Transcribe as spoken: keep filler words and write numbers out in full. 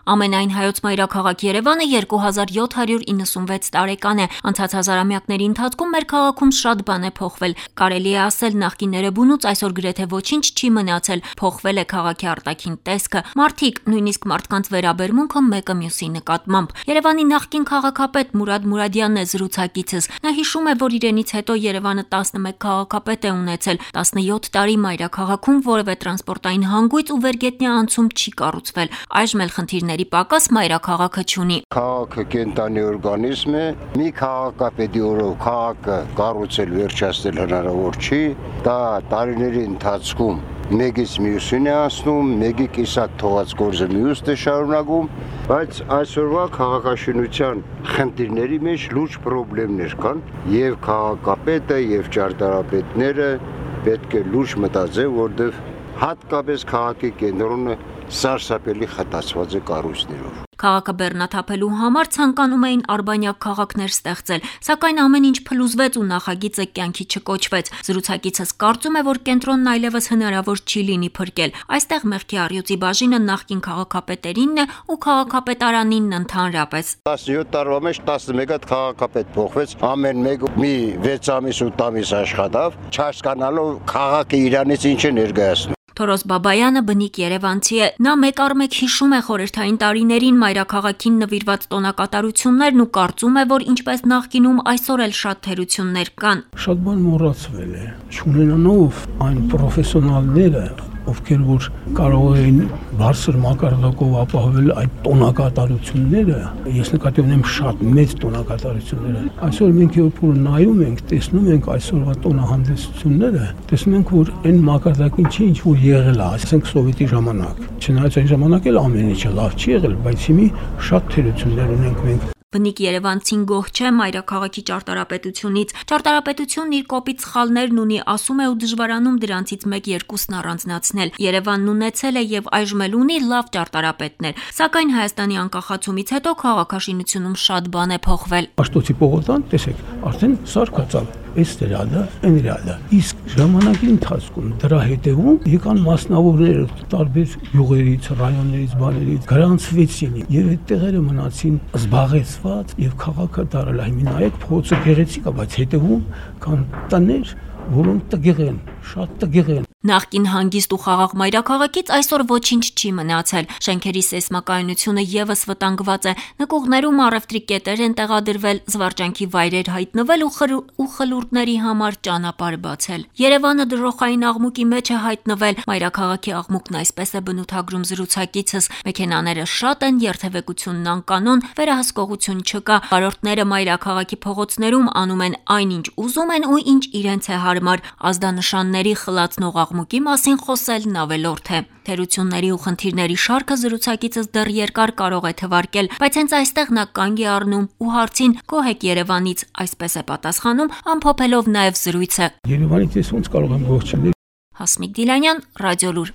Ամենայն հայոց մայրաքաղաք Երևանը երկու հազար յոթ հարյուր իննսունվեց տարեկան է։ Անցած հազարամյակների ընթացքում մեր քաղաքում շատ բան է փոխվել։ Կարելի է ասել նախկինները բունուց այսօր գրեթե ոչինչ չի մնացել, փոխվել է քաղաքի արտաքին տեսքը, մարդիկ, նույնիսկ մարդկանց վերաբերմունքը մեկը մյուսի նկատմամբ։ Երևանի նախկին քաղաքապետ Մուրադ Մուրադյանն է զրուցակիցս։ Նա հիշում է, որ իրենից հետո Երևանը տասնմեկ քաղաքապետ է ունեցել, տասնյոթ տարի մայրաքաղաքում որևէ տրանսպորտային հանգույց ու վերգետնյա անցում չի կառուցվել։ Այժմ էլ խնդիրների պակաս մայրաքաղաքը չունի։ Քաղաքը կենտանի օրգանիզմ է, մի քաղաքապետի օրով քաղաքը կառուցել վերջացնել հնարավոր չի, դա տարիների ընթացքում մեկից մյուսին է անցնում, մեկի կիսատ թողած գործը մյուսն է շարունակում, բայց այսօրվա քաղաքաշինության խնդիրների մեջ լուրջ խնդիրներ կան, եւ քաղաքապետը, եւ ճարտարապետները պետք է լուրջ մտածեն, որտեղ հատկապես քաղաքի կենտրոնը սարսափելի խտացված է կառույցներով։ Քաղաքը բեռնաթափելու համար ցանկանում էին արբանյակ քաղաքներ ստեղծել, սակայն ամեն ինչ փլուզվեց ու նախագիծը կյանքի չկոչվեց։ Զրուցակիցս կարծում է, որ կենտրոնն այլևս հնարավոր չի լինի փրկել։ Այստեղ մեղքի առյուծի բաժինը նախկին քաղաքապետերինն է ու քաղաքապետարանինն ընդհանրապես։ տասնյոթ տարվա մեջ տասնմեկ հատ քաղաքապետ փոխվեց, ամեն մեկը մի վեց ամիս ու ամիս աշխատավ, չհասկանալով քաղաքը իրանից ինչ է ներկայացնում։ Թորոս Բաբայանը բնիկ երևանցի է։ Նա մեկ առ մեկ հիշում է խորհրդային տարիներին մայրաքաղաքին նվիրված տոնակատարություններն ու կարծում է, որ ինչպես նախկինում այսօր էլ շատ թերություններ կան։ Շատ բան մոռացվել է, չունենալով այն պրոֆեսիոնալները, ովքեր որ կարող էին բարձր մակարդակով ապահովել այդ տոնակատարությունները, ես նկատի ունեմ շատ մեծ տոնակատարությունները։ Այսօր մենք երբ որ նայում ենք, տեսնում ենք այսօրվա տոնահանդեսությունները, տեսնում ենք, որ այն մակարդակին չի ինչ որ եղել է, ասենք սովետի ժամանակ։ Չնայած այն ժամանակ էլ ամեն ինչը լավ չի եղել, բայց հիմի շատ թերություններ ունենք մենք։ Բնիկ երևանցին գոհ չէ մայրաքաղաքի ճարտարապետությունից։ Ճարտարապետությունն իր կոպիտ սխալներն ունի, ասում է ու դժվարանում դրանցից մեկ-երկուսն առանձնացնել։ Երևանն ունեցել է եւ այժմ էլ ունի լավ ճարտարապետներ, սակայն Հայաստանի անկախացումից հետո քաղաքաշինությունում շատ բան է փոխվել։ Աշտոցի պողոտան, տեսեք, արդեն սարքացավ։ Այս դրադը, այն դրադը։ Իսկ ժամանակի ընթացքում դրա հետևում եկան մասնավորներ տարբեր յուղերից, ռայոններից, բաներից, գրանցվեցին եւ այդ տեղերը մնացին զբաղեցված եւ քաղաքը դարել է։ Հիմա նայեք, փողոցը գեղեցիկ է, բայց հետևում կան տներ, որոնք տգեղ են, շատ տգեղ են։ Նախկին հանգիստ ու խաղաղ մայրաքաղաքից այսօր ոչինչ չի մնացել։ Շենքերի սեյսմակայունությունը եւս վտանգված է։ Նկուղներում առևտրի կետեր են տեղադրվել, զվարճանքի վայրեր հայտնվել ու, խր... ու խլուրդների համար ճանապարհ բացել։ Երևանը դրոխային աղմուկի մեջ է հայտնվել։ Մայրաքաղաքի աղմուկն այսպես է բնութագրում զրուցակիցս։ Մեքենաները շատ են, երթևեկությունն անկանոն, վերահսկողություն չկա։ Վարորդները մայրաքաղաքի փողոցներում անում են այնինչ ուզում են ու ինչ իրենց է հարմար։ Ազդանշանների խլացնող աղմուկի մասին խոսելն ավելորդ է։ Թերությունների ու խնդիրների շարքը զրուցակիցս դեռ երկար կարող է թվարկել, բայց հենց այստեղ նա կանգ է առնում ու հարցին «Գոհ եք Երևանից» այսպես է պատասխանում, ամփոփելով նաև զրույցը։ Երևանից ես ոնց կարող եմ գոհ չլինել։ Հասմիկ Դիլանյան, Ռադիոլուր։